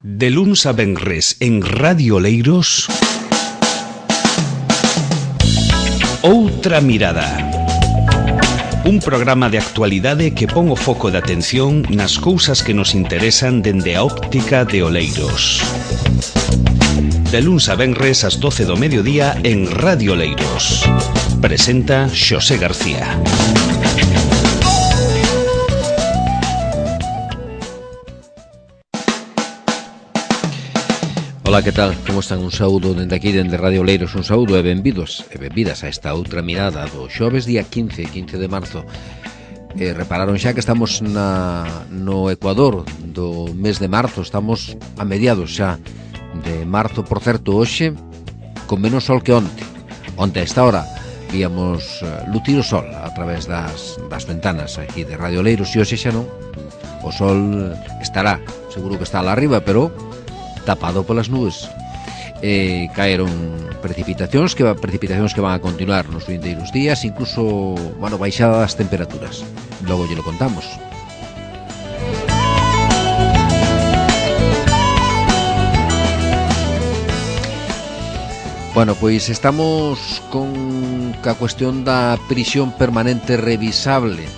De luns a venres en Radio Oleiros, Outra Mirada. Un programa de actualidade que pon o foco de atención nas cousas que nos interesan dende a óptica de Oleiros. De luns a venres ás 12 do mediodía en Radio Oleiros. Presenta Xosé García. Ola, que tal? Como están? Un saúdo dende aquí, dende Radio Oleiros. Un saúdo e benvidos e benvidas a esta outra mirada do xoves día 15 de marzo. Repararon xa que estamos no Ecuador do mes de marzo. Estamos a mediados xa de marzo. Por certo, hoxe con menos sol que onte. Onte a esta hora víamos lutir o sol a través das ventanas aquí de Radio Oleiros, e hoxe xa non. O sol estará, seguro que está lá arriba, pero tapado polas nubes. Caeron precipitacións que van a continuar nos vindeiros días, incluso, baixada das temperaturas. Logo lle lo contamos. Pois estamos con a cuestión da prisión permanente revisable.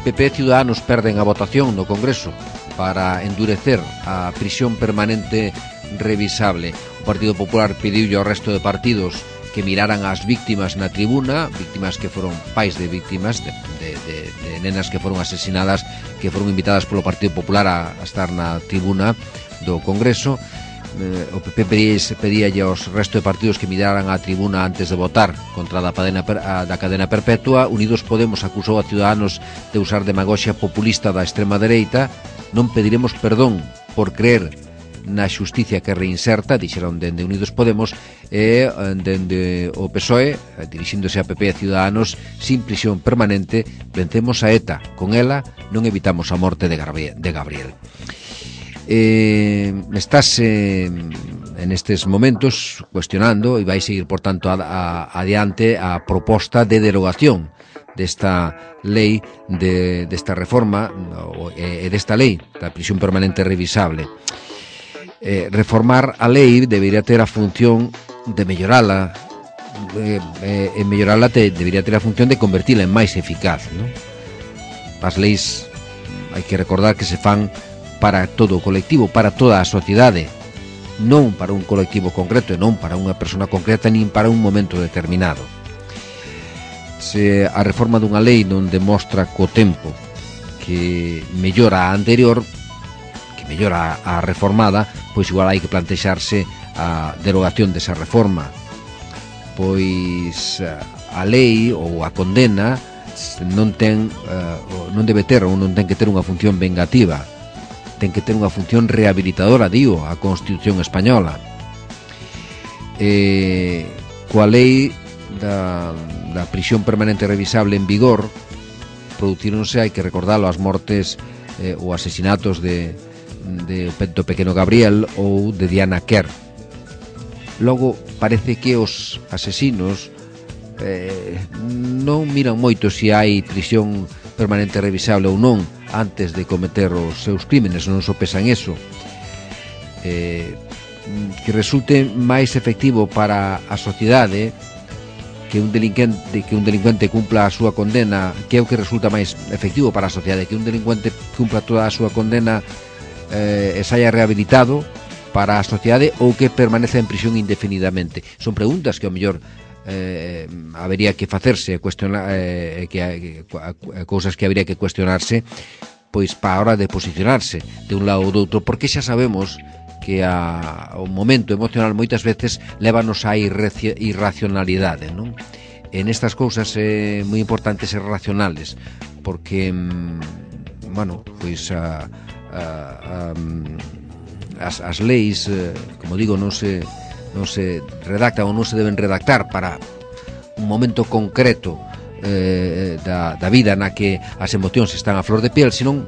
PP e Ciudadanos perden a votación no Congreso para endurecer a prisión permanente revisable. O Partido Popular pediulle ao resto de partidos que miraran as víctimas na tribuna, víctimas que foron pais de víctimas de nenas que foron asesinadas, que foron invitadas polo Partido Popular a estar na tribuna do Congreso. O PP pedíalle aos resto de partidos que miraran a tribuna antes de votar contra da cadena perpetua. Unidos Podemos acusou a Ciudadanos de usar demagoxia populista da extrema dereita. Non pediremos perdón por creer na xusticia que reinserta, dixeron dende Unidos Podemos, e dende o PSOE, dirixíndose a PP e Ciudadanos: sin prisión permanente vencemos a ETA, con ela non evitamos a morte de Gabriel. Estáse en estes momentos cuestionando, e vai seguir por tanto adiante, a proposta de derogación desta lei, desta reforma e desta lei da prisión permanente revisable. Reformar a lei debería ter a función de mellorala, e mellorala debería ter a función de convertila en máis eficaz, non? As leis hai que recordar que se fan para todo o colectivo, para toda a sociedade, non para un colectivo concreto e non para unha persona concreta, nin para un momento determinado. Se a reforma dunha lei non demostra co tempo que mellora a anterior, que mellora a reformada, pois igual hai que plantexarse a derogación desa reforma. Pois a lei ou a condena non debe ter ou non ten que ter unha función vengativa, ten que ter unha función rehabilitadora, digo, a Constitución española. Coa lei da prisión permanente revisable en vigor, producíronse, hai que recordarlo, as mortes ou asesinatos do pequeno Gabriel ou de Diana Kerr. Logo, parece que os asesinos non miran moito se hai prisión permanente revisable ou non antes de cometer os seus crímenes, non sopesan eso. Que resulte máis efectivo para a sociedade que un delincuente cumpla a súa condena, que é o que resulta máis efectivo para a sociedade, que un delincuente cumpla toda a súa condena e saia rehabilitado para a sociedade, ou que permaneza en prisión indefinidamente. Son preguntas que ao mellor habería que facerse, cousas que habería que cuestionarse, pois para a hora de posicionarse de un lado ou do outro, porque xa sabemos que o momento emocional moitas veces lévanos á irracionalidade, non? En estas cousas é moi importante ser racionales, porque as leis, como digo, non se redactan ou non se deben redactar para un momento concreto da vida na que as emocións están a flor de piel, senón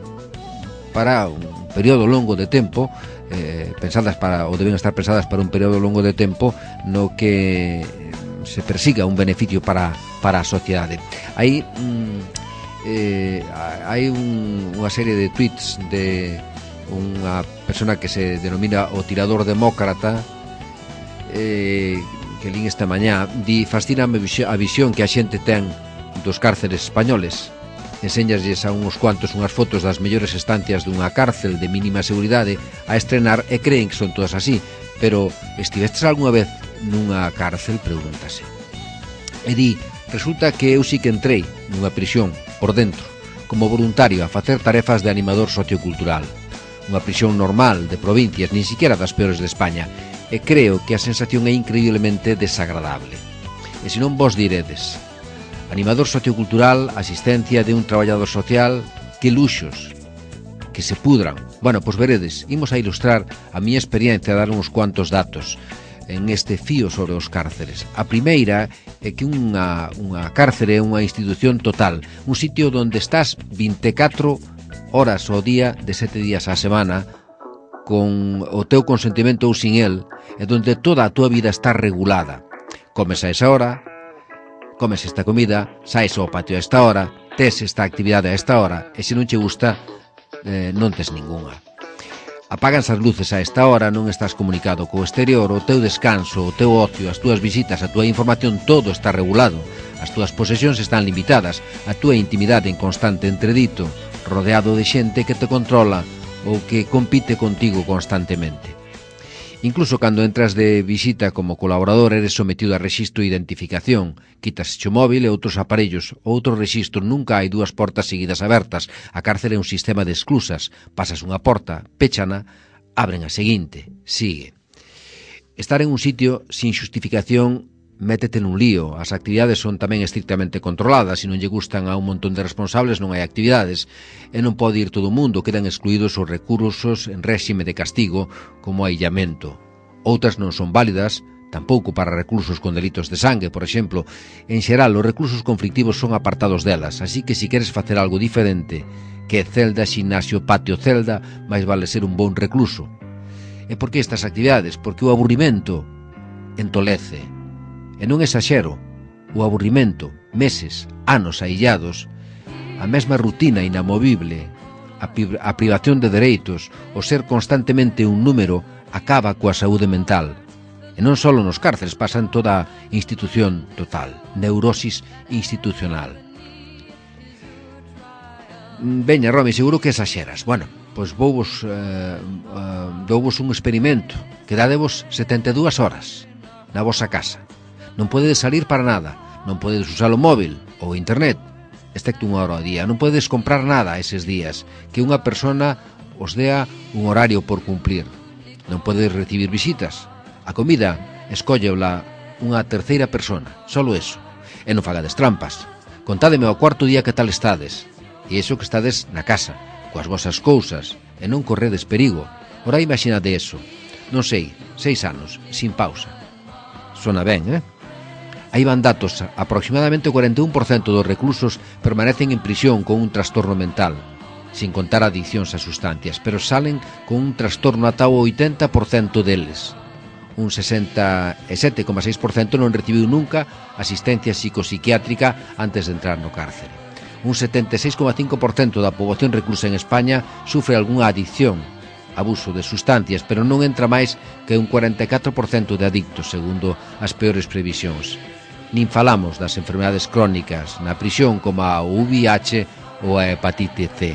para un período longo de tempo, deben estar pensadas para un período longo de tempo no que se persiga un beneficio para a sociedade. Hai unha serie de tweets de unha persona que se denomina o tirador demócrata, que lín esta mañá, fascíname a visión que a xente ten dos cárceres españoles. Enséñasles a uns cuantos unhas fotos das mellores estancias dunha cárcel de mínima seguridade a estrenar e creen que son todas así, pero estivestes algunha vez nunha cárcel, pregúntase. E di, resulta que eu sí que entrei nunha prisión por dentro, como voluntario a facer tarefas de animador sociocultural. Unha prisión normal de provincias, nin siquiera das peores de España, e creo que a sensación é increíblemente desagradable. E se non vos diredes, animador sociocultural, asistencia de un traballador social, que luxos, que se pudran. Bueno, pois veredes, imos a ilustrar a miña experiencia a dar uns cuantos datos en este fío sobre os cárceres. A primeira é que unha cárcere é unha institución total, un sitio onde estás 24 horas ao día de 7 días á semana, con o teu consentimento ou sin el, e onde toda a túa vida está regulada. Comes a esa hora, comes esta comida, saes ao patio a esta hora, tes esta actividade a esta hora, e se non che gusta, non tes ningunha. Apaganse as luces a esta hora, non estás comunicado co exterior, o teu descanso, o teu ocio, as túas visitas, a túa información, todo está regulado. As túas posesións están limitadas, a túa intimidade en constante entredito, rodeado de xente que te controla ou que compite contigo constantemente. Incluso cando entras de visita como colaborador eres sometido a rexistro e identificación, quitas o móvil e outros aparellos, outro rexistro, nunca hai dúas portas seguidas abertas, a cárcere é un sistema de exclusas, pasas unha porta, péchana, abren a seguinte, sigue. Estar en un sitio sin xustificación métete nun lío, as actividades son tamén estrictamente controladas, se non lle gustan a un montón de responsables non hai actividades, e non pode ir todo o mundo, quedan excluídos os recursos en réxime de castigo, como aillamento. Outras non son válidas, tampouco para reclusos con delitos de sangue, por exemplo. En xeral, os reclusos conflictivos son apartados delas, así que se queres facer algo diferente, que celda, ximnasio, patio, celda, máis vale ser un bon recluso. E por que estas actividades? Porque o aburrimento entolece. E non exaxero, o aburrimento, meses, anos aillados, a mesma rutina inamovible, a privación de dereitos, o ser constantemente un número, acaba coa saúde mental. E non só nos cárceles, pasa en toda a institución total, neurosis institucional. Veña, Romi, seguro que exaxeras. Bueno, pois douvos un experimento, que dadevos 72 horas na vosa casa. Non podedes salir para nada, non podedes usar o móvil ou internet, excepto unha hora ao día, non podedes comprar nada eses días, que unha persona os dea un horario por cumplir. Non podedes recibir visitas. A comida, escóllevla unha terceira persona, solo eso. E non fagades trampas. Contádeme ao cuarto día que tal estades. E iso que estades na casa, coas vosas cousas, e non corredes perigo. Ora imaginade eso. Non sei, 6 anos, sin pausa. Sona ben, Aí van datos, aproximadamente o 41% dos reclusos permanecen en prisión con un trastorno mental, sin contar adiccións a sustancias, pero salen con un trastorno ata o 80% deles. Un 67,6% non recibiu nunca asistencia psicopsiquiátrica antes de entrar no cárcere. Un 76,5% da poboación reclusa en España sufre algunha adicción, abuso de sustancias, pero non entra máis que un 44% de adictos, segundo as peores previsións. Nin falamos das enfermedades crónicas na prisión como a VIH ou a hepatite C.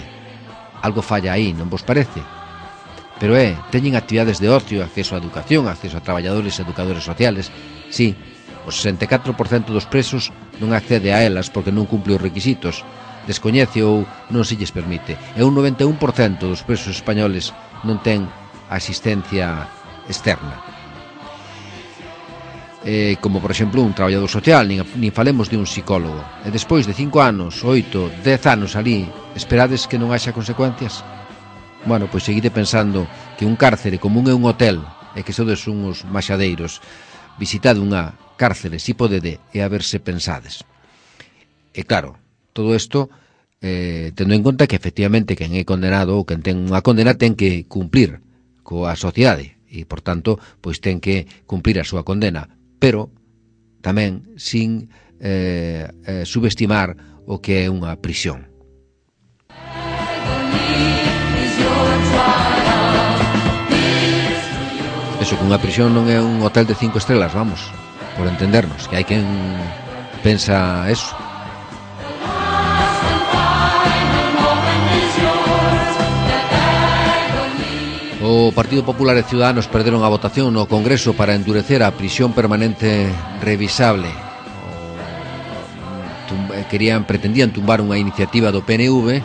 Algo falla aí, non vos parece? Pero teñen actividades de ocio, acceso á educación, acceso a traballadores e educadores sociales. Sí, o 64% dos presos non accede a elas porque non cumple os requisitos, descoñece ou non se lles permite. E un 91% dos presos españoles non ten asistencia externa. Como, por exemplo, un traballador social, nin falemos de un psicólogo. E despois de 5 anos, 8, 10 anos ali, esperades que non haxa consecuencias? Bueno, pois seguide pensando que un cárcere común é un hotel e que sodes uns maxadeiros. Visitade unha cárcere, si podede, e a ver se pensades. E claro, todo isto tendo en conta que efectivamente quen é condenado ou quen ten unha condena ten que cumplir coa sociedade e, por tanto, pois ten que cumplir a súa condena, pero tamén sin subestimar o que é unha prisión. dixo que unha prisión non é un hotel de 5 estrelas, vamos, por entendernos, que hai quen pensa eso. O Partido Popular e Ciudadanos perderon a votación no Congreso para endurecer a prisión permanente revisable. Pretendían tumbar unha iniciativa do PNV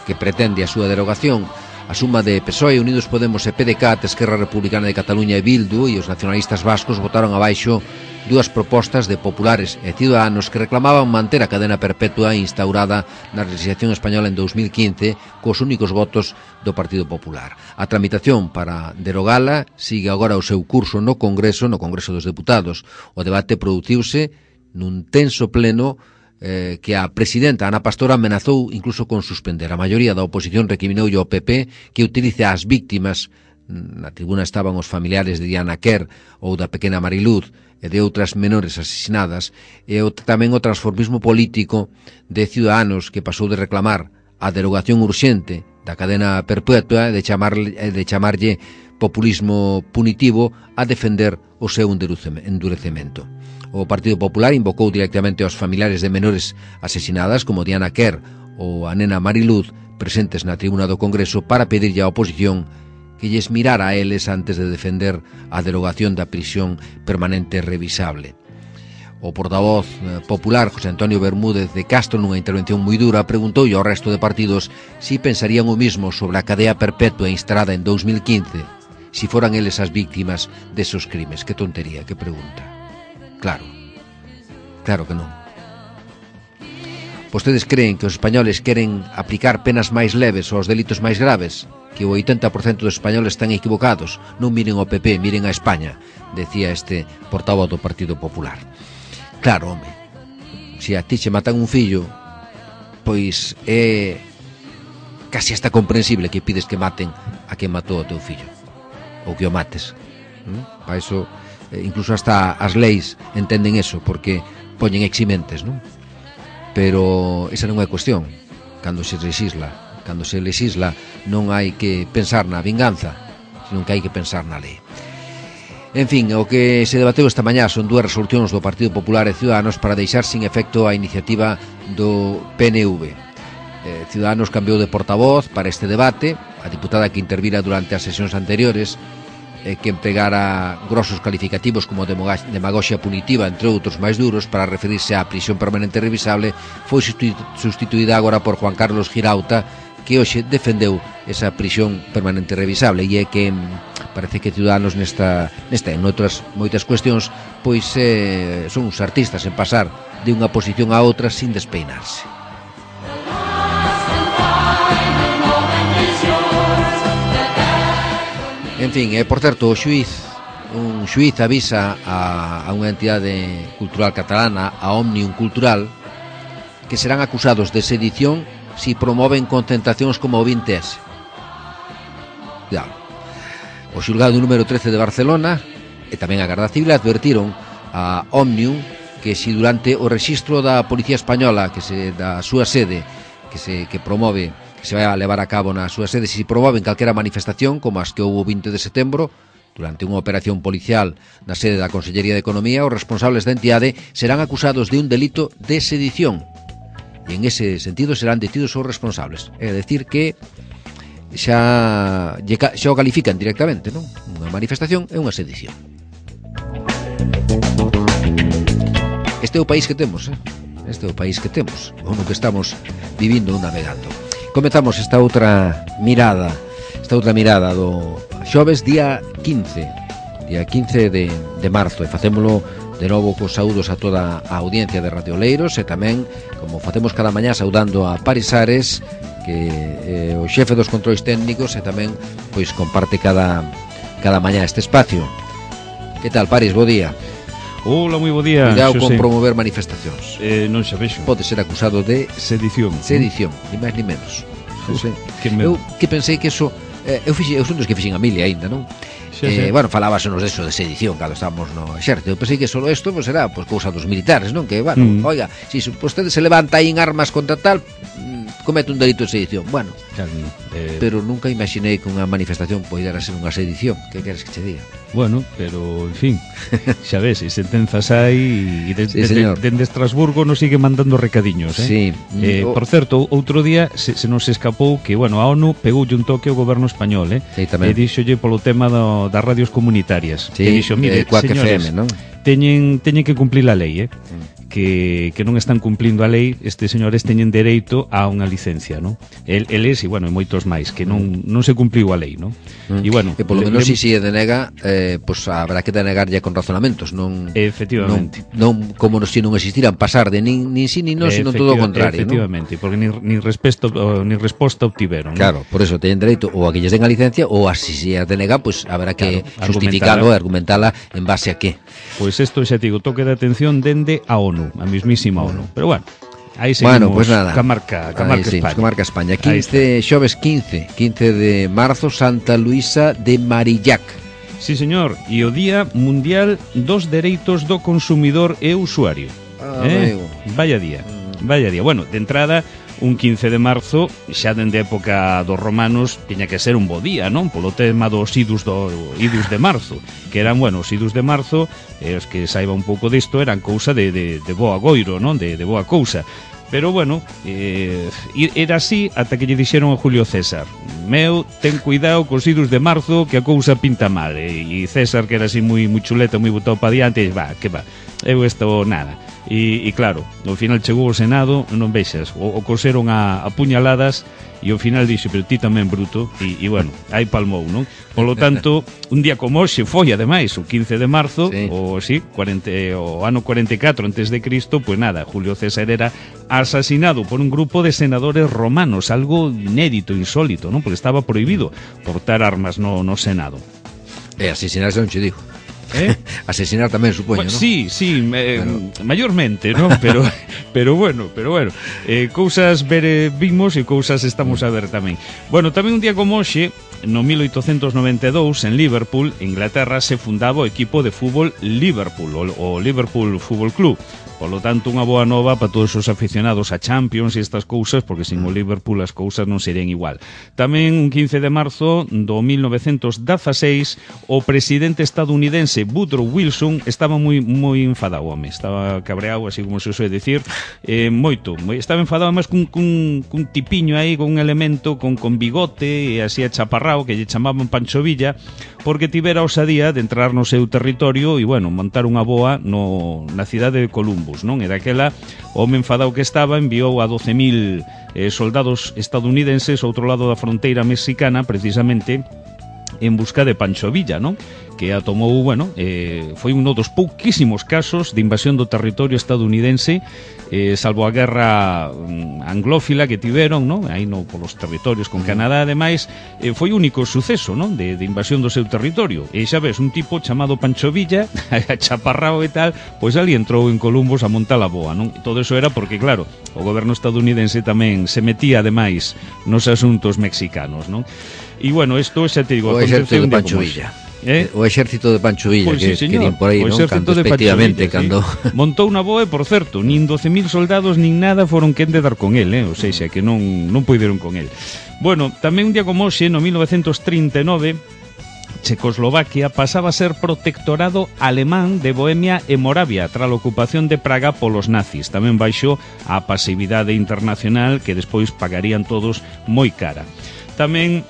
que pretende a súa derogación. A suma de PSOE, Unidos Podemos e PDeCAT, Esquerra Republicana de Cataluña e Bildu e os nacionalistas vascos votaron abaixo dúas propostas de populares e ciudadanos que reclamaban manter a cadena perpetua instaurada na legislación española en 2015 cos únicos votos do Partido Popular. A tramitación para derogala sigue agora o seu curso no Congreso dos Deputados. O debate produciuse nun tenso pleno que a presidenta Ana Pastor amenazou incluso con suspender. A maioría da oposición recriminoulle ao PP que utilice as víctimas. Na tribuna estaban os familiares de Diana Quer ou da pequena Mariluz e de outras menores asesinadas, e tamén o transformismo político de Ciudadanos, que pasou de reclamar a derogación urxente da cadena perpetua e de chamarlle populismo punitivo a defender o seu endurecemento. O Partido Popular invocou directamente aos familiares de menores asesinadas como Diana Quer ou a nena Mariluz presentes na tribuna do Congreso para pedirlle á oposición que lles mirara a eles antes de defender a derogación da prisión permanente revisable. O portavoz popular José Antonio Bermúdez de Castro, nunha intervención moi dura, preguntoulle ao resto de partidos si pensarían o mismo sobre a cadea perpetua instalada en 2015 si foran eles as víctimas desos crimes. Que tontería, que pregunta. Claro que non. Vostedes creen que os españoles queren aplicar penas máis leves aos delitos máis graves? Que o 80% dos españoles están equivocados. Non miren ao PP, miren a España, decía este portavoz do Partido Popular. Claro, home, se a ti che matan un fillo, pois é casi hasta comprensible que pides que maten a quen matou o teu fillo, ou que o mates. Para iso, incluso hasta as leis entenden eso, porque poñen eximentes, non? Pero esa non é cuestión. Cando se legisla non hai que pensar na vinganza, senón que hai que pensar na lei. En fin, o que se debateu esta mañá son dúas resolucións do Partido Popular e Ciudadanos para deixar sin efecto a iniciativa do PNV. Ciudadanos cambiou de portavoz para este debate. A diputada que intervira durante as sesións anteriores, que empregara grosos calificativos como demagoxia punitiva, entre outros máis duros, para referirse á prisión permanente revisable, foi sustituída agora por Juan Carlos Girauta, que hoxe defendeu esa prisión permanente revisable, e é que parece que Ciudadanos nesta e noutras moitas cuestións pois son uns artistas en pasar de unha posición a outra sin despeinarse. En fin, por certo, un xuiz avisa a unha entidade cultural catalana, a Òmnium Cultural, que serán acusados de sedición si promoven concentracións como o 20S. O xulgado número 13 de Barcelona e tamén a Garda Civil advertiron a Òmnium que si durante o rexistro da Policía Española da súa sede que promove, que se vai a levar a cabo na súa sede, se promoven calquera manifestación como as que houve o 20 de setembro durante unha operación policial na sede da Consellería de Economía, os responsables da entidade serán acusados de un delito de sedición e en ese sentido serán detidos os responsables. É dicir que xa o califican directamente, non? Unha manifestación é unha sedición. Este é o país que temos, Este é o país que temos, o no que estamos vivindo ou navegando. Comezamos esta outra mirada do xoves día 15 de marzo, e facémolo de novo cos saúdos a toda a audiencia de Radio Oleiros, e tamén, como facemos cada mañá, saudando a Paris Ares, que é o xefe dos controis técnicos e tamén pois comparte cada mañá este espacio. Que tal, Paris? Bo día. Hola, moi bo día. Cuidado con promover manifestacións. Non xa vexo. Pode ser acusado de sedición, ni máis ni menos. Eu que pensei que eso eu son dos que fixen a milia aínda, non? Bueno, falábasenos deso de sedición cando estábamos no exército. Eu pensei que solo isto pues, era cousa dos militares, non? Que, bueno, oiga, si vostedes se levanta aí en armas contra tal, comete un delito de sedición. Bueno, Claro, pero nunca imaginei que unha manifestación poidera ser unha sedición. Que queres que che diga? bueno, pero, en fin, xa ves, e sentenzas hai e dende Estrasburgo nos sigue mandando recadiños, Sí. Por certo, outro día se nos escapou que, bueno, a ONU pegoulle un toque ao goberno español, Sí, tamén. E díxolle polo tema das radios comunitarias. Sí, E dixo, mire, Quack señores, FM, non? teñen que cumplir a lei, que non están cumplindo a lei, estes señores teñen dereito a unha licencia, non? Eles, e bueno, e moitos máis, que non se cumpliu a lei, non? E bueno, E polo menos se denega, pois habrá que denegarlle con razonamentos, non? Efectivamente. Non como se non existiran pasar de nin sí nin non, sino todo o contrario, non? Efectivamente, porque nin resposta obtiveron. Claro, por eso teñen dereito ou a que lles den a licencia ou a si se a denega, pois habrá que justificalo e argumentala en base a que. Pois isto xa digo, toque de atención dende a ONU, a mismísima ONU. Pero bueno, aí seguimos pues nada. ca marca España. Ca marca España. Xoves 15 de marzo, Santa Luisa de Marillac. Sí, señor, e o Día Mundial dos Dereitos do Consumidor e Usuario. Amigo. Vaya día. Bueno, de entrada, un 15 de marzo, xa dende a época dos romanos, tiña que ser un bo día, non? Polo tema dos idus de marzo, que eran, bueno, os idus de marzo, os que saiba un pouco disto, eran cousa de boa goiro, non? De boa cousa. Pero, bueno, era así ata que lle dixeron a Julio César: meu, ten cuidado cos idus de marzo, que a cousa pinta mal. E César, que era así moi chuleta, moi botado pa diante, que va, eu isto nada. E claro, ao final chegou ao Senado, non vexas, o coseron a puñaladas, e ao final dixo, pero ti tamén, bruto, e bueno, aí palmou, non? Polo tanto, un día como hoxe foi, ademais, o 15 de marzo, sí. o ano 44 antes de Cristo, pois nada, Julio César era asesinado por un grupo de senadores romanos, algo inédito, insólito, non? Porque estaba prohibido portar armas no Senado. Asesinarse non che digo. Asesinar tamén, supoño, Bueno, ¿no? Sí, mayormente, ¿no? Pero bueno, cousas vimos e cousas estamos a ver tamén. Bueno, tamén un día como hoxe, no 1892, en Liverpool, Inglaterra, se fundaba o equipo de fútbol Liverpool, o Liverpool Fútbol Club. Polo tanto, unha boa nova para todos os aficionados a Champions e estas cousas, porque sin o Liverpool as cousas non serían igual. Tamén un 15 de marzo do 1916, o presidente estadounidense Woodrow Wilson estaba moi enfadado, home, estaba cabreado, así como se suele decir, estaba enfadado máis cun tipiño aí, con un elemento con bigote e así achaparrao, que lle chamaban Pancho Villa, porque tivera osadía de entrar no seu territorio e, bueno, montar unha boa na cidade de Columbus, non? E daquela, o home enfadado que estaba enviou a 12.000 soldados estadounidenses ao outro lado da fronteira mexicana, precisamente en busca de Pancho Villa, non? Que a tomou, bueno, foi un dos pouquísimos casos de invasión do territorio estadounidense, salvo a guerra anglófila que tiveron, non? Aí polos territorios con Canadá, ademais, foi o único suceso, non? De invasión do seu territorio. E xa ves, un tipo chamado Pancho Villa, chaparrao e tal, pois ali entrou en Columbus a montar a boa, non? E todo eso era porque, claro, o goberno estadounidense tamén se metía, ademais, nos asuntos mexicanos, non? E, bueno, isto xa te digo, o exército de Pancho Villa. O exército de Pancho Villa, pues sí, que din por aí, non? Cando, efectivamente, cando... Sí. Montou unha boa e, por certo, nin 12.000 soldados nin nada foron quen de dar con el, O seja, que non puideron con el. Bueno, tamén un día como hoxe, no 1939, Checoslovaquia pasaba a ser protectorado alemán de Bohemia e Moravia tras a ocupación de Praga polos nazis. Tamén baixo a pasividade internacional que despois pagarían todos moi cara. Tamén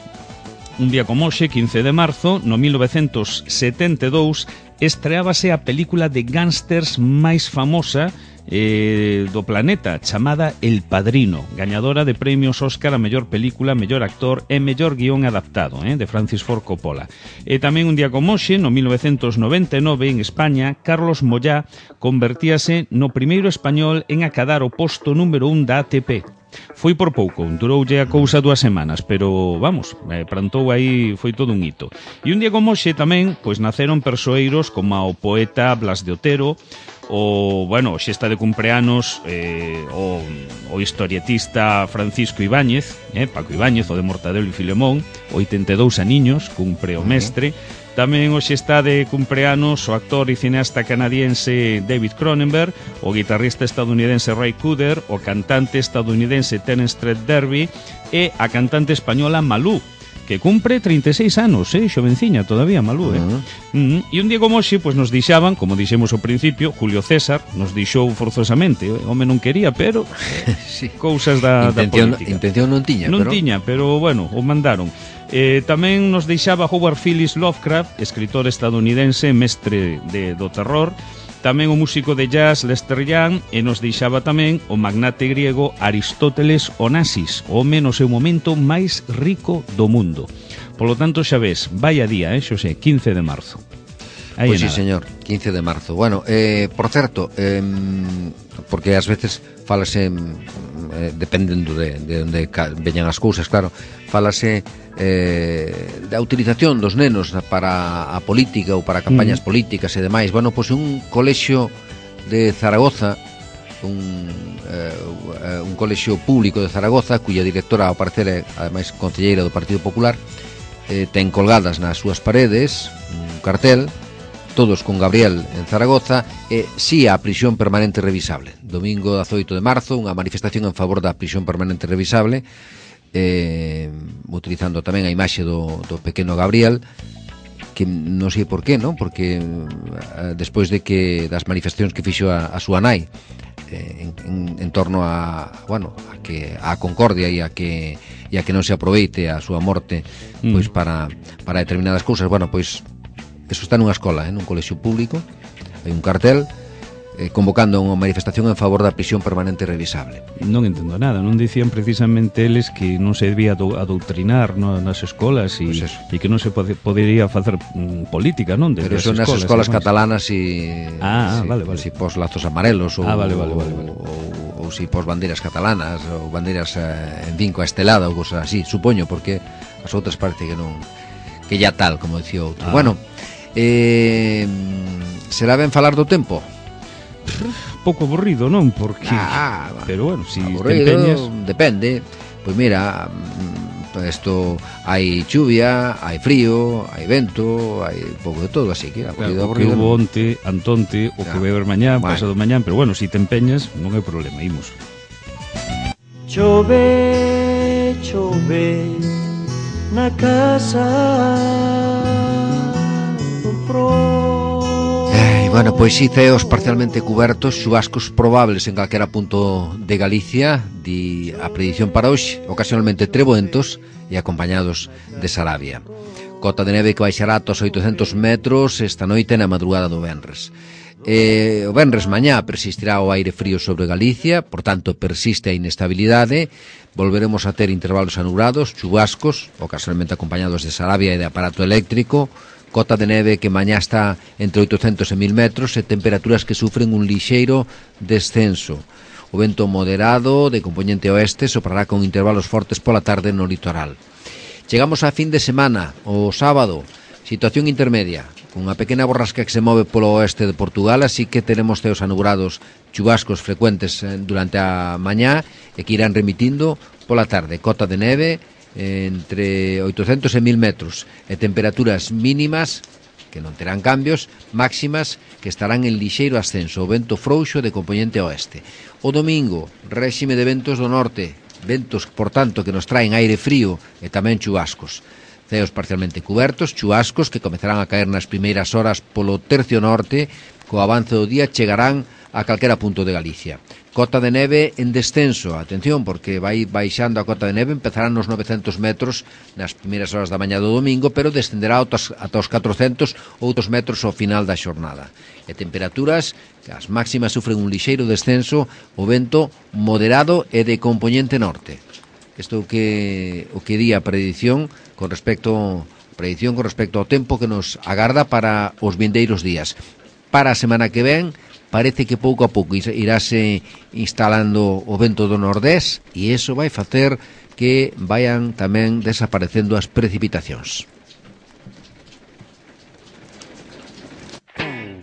un día como hoxe, 15 de marzo, no 1972, estreábase a película de gángsters máis famosa do planeta, chamada El Padrino, gañadora de premios Óscar a mellor película, mellor actor e mellor guión adaptado, de Francis Ford Coppola. E tamén un día como hoxe, no 1999, en España, Carlos Moyá convertíase no primeiro español en acadar o posto número 1 da ATP. Foi por pouco, duroulle a cousa 2 semanas, pero, vamos, plantou aí, foi todo un hito. E un día como hoxe tamén, pois naceron persoeiros como o poeta Blas de Otero, hoxe está de cumpleanos o historietista Francisco Ibáñez, Paco Ibáñez, o de Mortadelo e Filemón, 82 aniños, cumpre o mestre, Tamén hoxe está de cumpleanos o actor e cineasta canadiense David Cronenberg, o guitarrista estadounidense Ray Cooder, o cantante estadounidense Terence D'Arby e a cantante española Malú, que cumpre 36 anos, xovenciña todavía Malú, E un día como hoxe, pois nos dixaban, como dixemos ao principio, Julio César nos dixou forzosamente, o home non quería, pero sí. Cousas da política. Intención non tiña, non tiña, pero bueno, o mandaron. Tamén nos deixaba Howard Phillips Lovecraft, escritor estadounidense, mestre do terror. Tamén o músico de jazz Lester Young, e nos deixaba tamén o magnate griego Aristóteles Onassis, o home no seu momento máis rico do mundo. Polo tanto, xa ves, vaya día, Xosé, 15 de marzo. Pois sí, señor, 15 de marzo. Bueno, por certo, porque ás veces falase, dependendo de onde veñan as cousas, claro, falase da utilización dos nenos para a política ou para campañas políticas e demais. Bueno, pois un colexio de Zaragoza, un colexio público de Zaragoza, cuya directora, ao parecer, é ademais concelleira do Partido Popular, ten colgadas nas súas paredes un cartel, todos con Gabriel en Zaragoza, e sí a prisión permanente revisable. Domingo 18 de marzo, unha manifestación en favor da prisión permanente revisable, utilizando tamén a imaxe do pequeno Gabriel, que non sei por qué, non? Porque despois de que das manifestacións que fixo a súa nai en torno a, bueno, a concordia e a que non se aproveite a súa morte pois para determinadas cousas, bueno, pois eso está nunha escola, nun colexio público, hai un cartel convocando unha manifestación en favor da prisión permanente revisable. Non entendo nada, non dicían precisamente eles que non se debía adoutrinar nas escolas e que non se podería facer política, non? Pero son nas escolas catalanas e vale. Si pos lazos amarelos ou vale. ou si pos bandeiras catalanas ou bandeiras en vinco a estelada ou cosas así, supoño, porque as outras parece que non, que ya tal, como dicía outro. Bueno, será ben falar do tempo? Pouco aburrido, non? Porque pero bueno, si te empeñas, depende. Pois mira, isto hai chuvia, hai frío, hai vento, hai pouco de todo, así que aburrido, o que hubo onte, antonte, o que vai haber mañán, pasado mañán, pero bueno, si te empeñas, non hai problema, imos. Chove, chove na casa do pro. Bueno, pois sí, ceos parcialmente cubertos, chubascos probables en calquera punto de Galicia, di a predición para hoxe, ocasionalmente treboentos e acompañados de sarabia. Cota de neve que baixará ata os 800 metros esta noite na madrugada do venres. O venres mañá persistirá o aire frío sobre Galicia, por tanto persiste a inestabilidade, volveremos a ter intervalos anubrados, chubascos, ocasionalmente acompañados de sarabia e de aparato eléctrico, cota de neve que mañá está entre 800 e 1000 metros e temperaturas que sufren un lixeiro descenso. O vento moderado de componente oeste soprará con intervalos fortes pola tarde no litoral. Chegamos a fin de semana, o sábado, situación intermedia, unha pequena borrasca que se move polo oeste de Portugal, así que teremos ceos anubrados, chubascos frecuentes durante a mañá e que irán remitindo pola tarde. Cota de neve entre 800 e 1000 metros e temperaturas mínimas que non terán cambios, máximas que estarán en lixeiro ascenso, o vento frouxo de componente oeste. O domingo, réxime de ventos do norte, ventos, por tanto, que nos traen aire frío e tamén chubascos. Ceos parcialmente cubertos, chubascos que comezarán a caer nas primeiras horas polo tercio norte, co avance do día chegarán a calquera punto de Galicia. Cota de neve en descenso, atención, porque vai baixando a cota de neve, empezarán nos 900 metros nas primeiras horas da mañá do domingo, pero descenderá ata os 400 outros metros ao final da xornada. E temperaturas, que as máximas sufren un lixeiro descenso, o vento moderado e de componente norte. Isto é o que di a predicción con respecto ao tempo que nos agarda para os vindeiros días. Para a semana que ven, parece que pouco a pouco irase instalando o vento do nordés e iso vai facer que vayan tamén desaparecendo as precipitacións.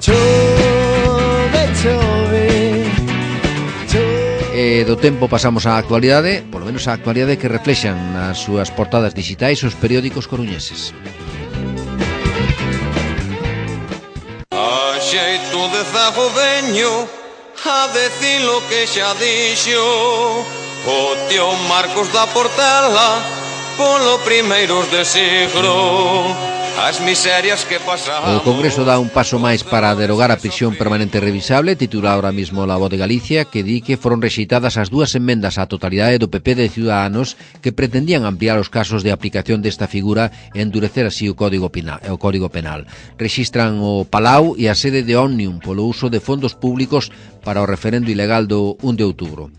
Chove, chove, chove. E do tempo pasamos á actualidade, polo menos á actualidade que reflexan nas súas portadas digitais os periódicos coruñeses. xeito de zago veño a decir lo que xa dixo o tío Marcos da Portela polo primeiros de siglo. As miserias que pasamos. O Congreso dá un paso máis para derogar a prisión permanente revisable, titula ahora mismo La Voz de Galicia, que di que foron rexeitadas as dúas enmendas á totalidade do PP de Ciudadanos que pretendían ampliar os casos de aplicación desta figura e endurecer así o Código Penal. Rexistran o Palau e a sede de Òmnium polo uso de fondos públicos para o referendo ilegal do 1 de outubro.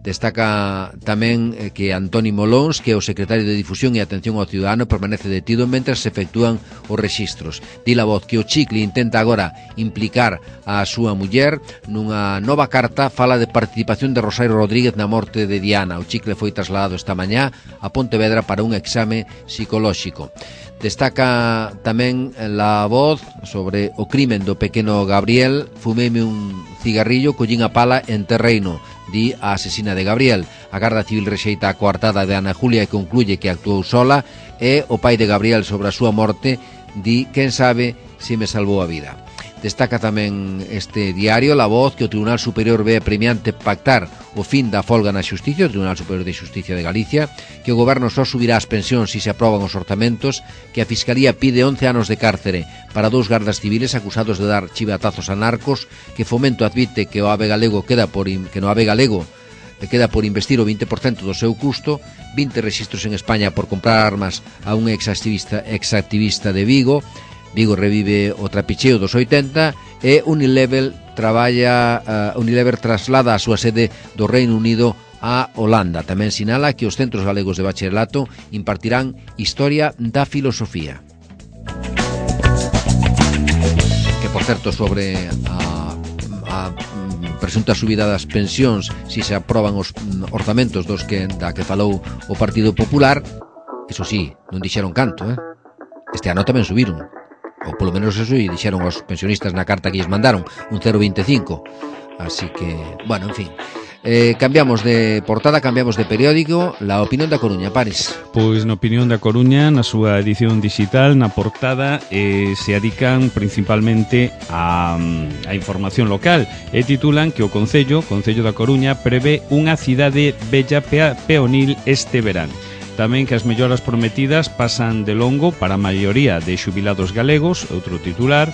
Destaca tamén que Antoni Molóns, que é o secretario de Difusión e Atención ao Ciudadano, permanece detido mentras se efectúan os rexistros. Di La Voz que o Chicle intenta agora implicar a súa muller nunha nova carta, fala de participación de Rosario Rodríguez na morte de Diana. O Chicle foi trasladado esta mañá a Pontevedra para un exame psicolóxico. Destaca tamén La Voz sobre o crimen do pequeno Gabriel. Fumeme un cigarrillo, collín a pala en terreino, di a asesina de Gabriel. A Garda Civil rexeita a coartada de Ana Julia e concluye que actuou sola, e o pai de Gabriel sobre a súa morte di quen sabe se me salvou a vida. Destaca tamén este diario La Voz que o Tribunal Superior ve premiante pactar o fin da folga na Xusticia, o Tribunal Superior de Xusticia de Galicia, que o Goberno só subirá as pensións se se aproban os orzamentos, que a Fiscalía pide 11 anos de cárcere para 2 gardas civiles acusados de dar chivatazos a narcos, que Fomento admite que o AVE galego queda por investir o 20% do seu custo, 20 rexistros en España por comprar armas a un exactivista de Vigo. Vigo revive o trapicheo dos 80 e Unilever traslada a súa sede do Reino Unido a Holanda. Tamén sinala que os centros galegos de bacharelato impartirán Historia da Filosofía. Que, por certo, sobre a presunta subida das pensións, se se aproban os orzamentos da que falou o Partido Popular, eso sí, non dixeron canto, Este ano tamén subiron. Ou polo menos eso e dixeron os pensionistas na carta que lles mandaron, un 0,25. Así que, bueno, en fin. Cambiamos de portada, cambiamos de periódico. La Opinión da Coruña, Paris. Pois na Opinión da Coruña, na súa edición digital, na portada, se adican principalmente a información local e titulan que o Concello da Coruña prevé unha cidade bella peonil este verán. Tamén que as melloras prometidas pasan de longo para a maioría de xubilados galegos, outro titular.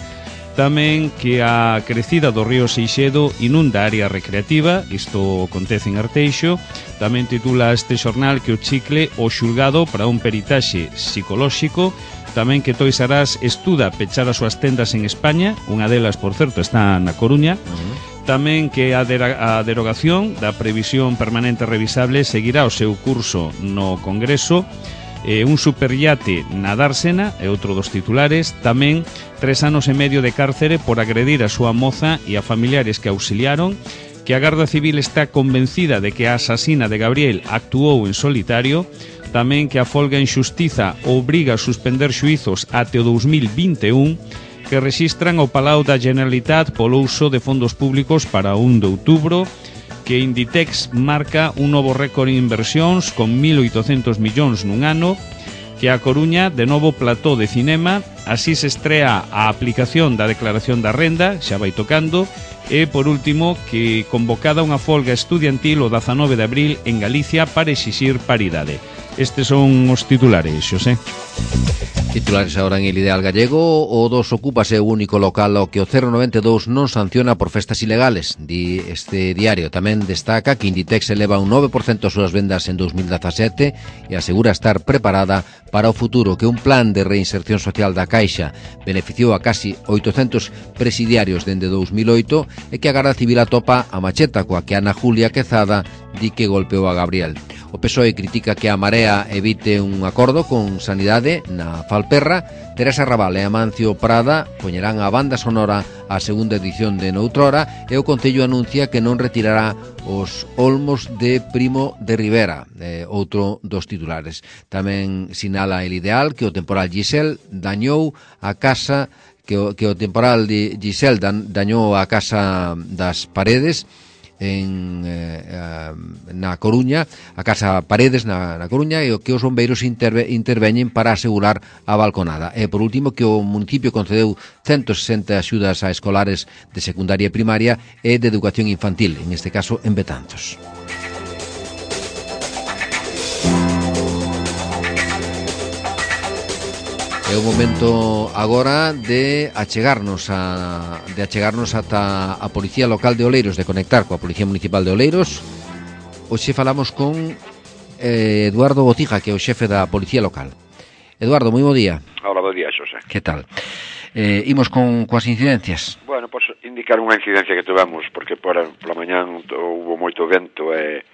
Tamén que a crecida do río Seixedo inunda a área recreativa, isto acontece en Arteixo. Tamén titula este xornal que o Chicle o xulgado para un peritaxe psicolóxico. Tamén que Toys R Us estuda pechar as súas tendas en España, unha delas, por certo, está na Coruña. Tamén que a derogación da previsión permanente revisable seguirá o seu curso no Congreso. Un superiate na Dársena é outro dos titulares. Tamén 3 anos e medio de cárcere por agredir a súa moza e a familiares que auxiliaron. Que a Garda Civil está convencida de que a asasina de Gabriel actuou en solitario. Tamén que a folga en xustiza obriga a suspender xuizos até o 2021. Que rexistran o Palau da Generalitat polo uso de fondos públicos para 1 de outubro, que Inditex marca un novo récord en inversións con 1.800 millóns nun ano, que a Coruña de novo plató de cinema, así se estrea a aplicación da declaración da renda, xa vai tocando, e, por último, que convocada unha folga estudiantil o 19 de abril en Galicia para exixir paridade. Estes son os titulares, Xosé. Titulares ahora en El Ideal Gallego. O dos ocúpase o único local ao que o 092 non sanciona por festas ilegales, di este diario. Tamén destaca que Inditex eleva un 9% as súas vendas en 2017 e asegura estar preparada para o futuro, que un plan de reinserción social da Caixa beneficiou a casi 800 presidiarios dende 2008 e que a Garda Civil atopa a macheta coa que Ana Julia Quezada di que golpeou a Gabriel. O PSOE critica que a Marea evite un acordo con Sanidade na Falperra. Teresa Raval e Amancio Prada poñerán a banda sonora a segunda edición de Noutrora e o Concello anuncia que non retirará os olmos de Primo de Rivera, outro dos titulares. Tamén sinala El Ideal que o temporal Giselle dañou a casa dañou a casa das Paredes na Coruña, a Casa Paredes na Coruña, e o que os bombeiros interveñen para asegurar a balconada. E por último, que o municipio concedeu 160 axudas a escolares de secundaria e primaria e de educación infantil, en este caso en Betanzos. É o momento agora de achegarnos ata a Policía Local de Oleiros, de conectar coa Policía Municipal de Oleiros. Hoxe falamos con Eduardo Botija, que é o xefe da Policía Local. Eduardo, moi bo día. Hola, bo día, Xosé. Que tal? Imos coas incidencias. Bueno, pois indicar unha incidencia que tivemos, porque pola mañán houve moito vento e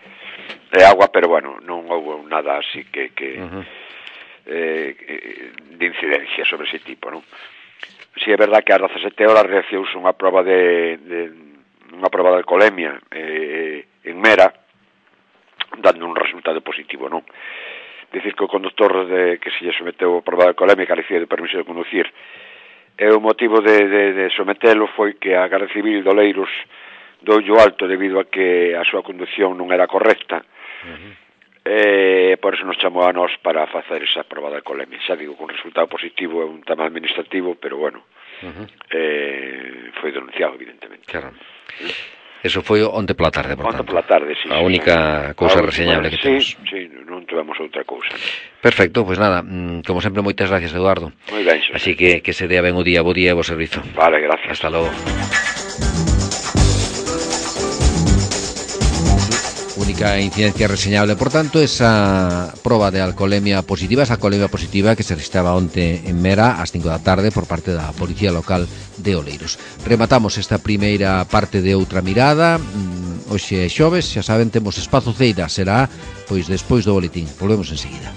agua, pero bueno, non houve nada así que de incidencia sobre ese tipo, non? Si é verdad que ás 17 horas reaccionouse unha proba de alcoholemia en Mera, dando un resultado positivo, non? Dicir que o conductor que se lle someteu a proba de alcoholemia carecía de permiso de conducir, e o motivo de sometelo foi que a Garda Civil de Oleiros doulle alto debido a que a súa conducción non era correcta. Por eso nos chamou a nós para facer esa proba de alcoholemia. Xa digo, con resultado positivo, é un tema administrativo, pero bueno, foi denunciado, evidentemente. Claro. Eso foi onte pola tarde, por tanto. Onte pola tarde, sí. A única cousa reseñable que temos. Sí, non tivemos outra cousa. Perfecto, pois nada, como sempre, moitas gracias, Eduardo. Moi ben, Xosé. Así que se dea ben o día, bo día e bo servizo. Vale, gracias. Hasta logo. Única incidencia reseñable, por tanto, esa proba de alcoholemia positiva, que se registraba onte en Mera ás 5 da tarde por parte da Policía Local de Oleiros. Rematamos esta primeira parte de Outra Mirada. Hoxe é xoves, xa saben, temos espazo ceira, será pois despois do boletín. Volvemos enseguida.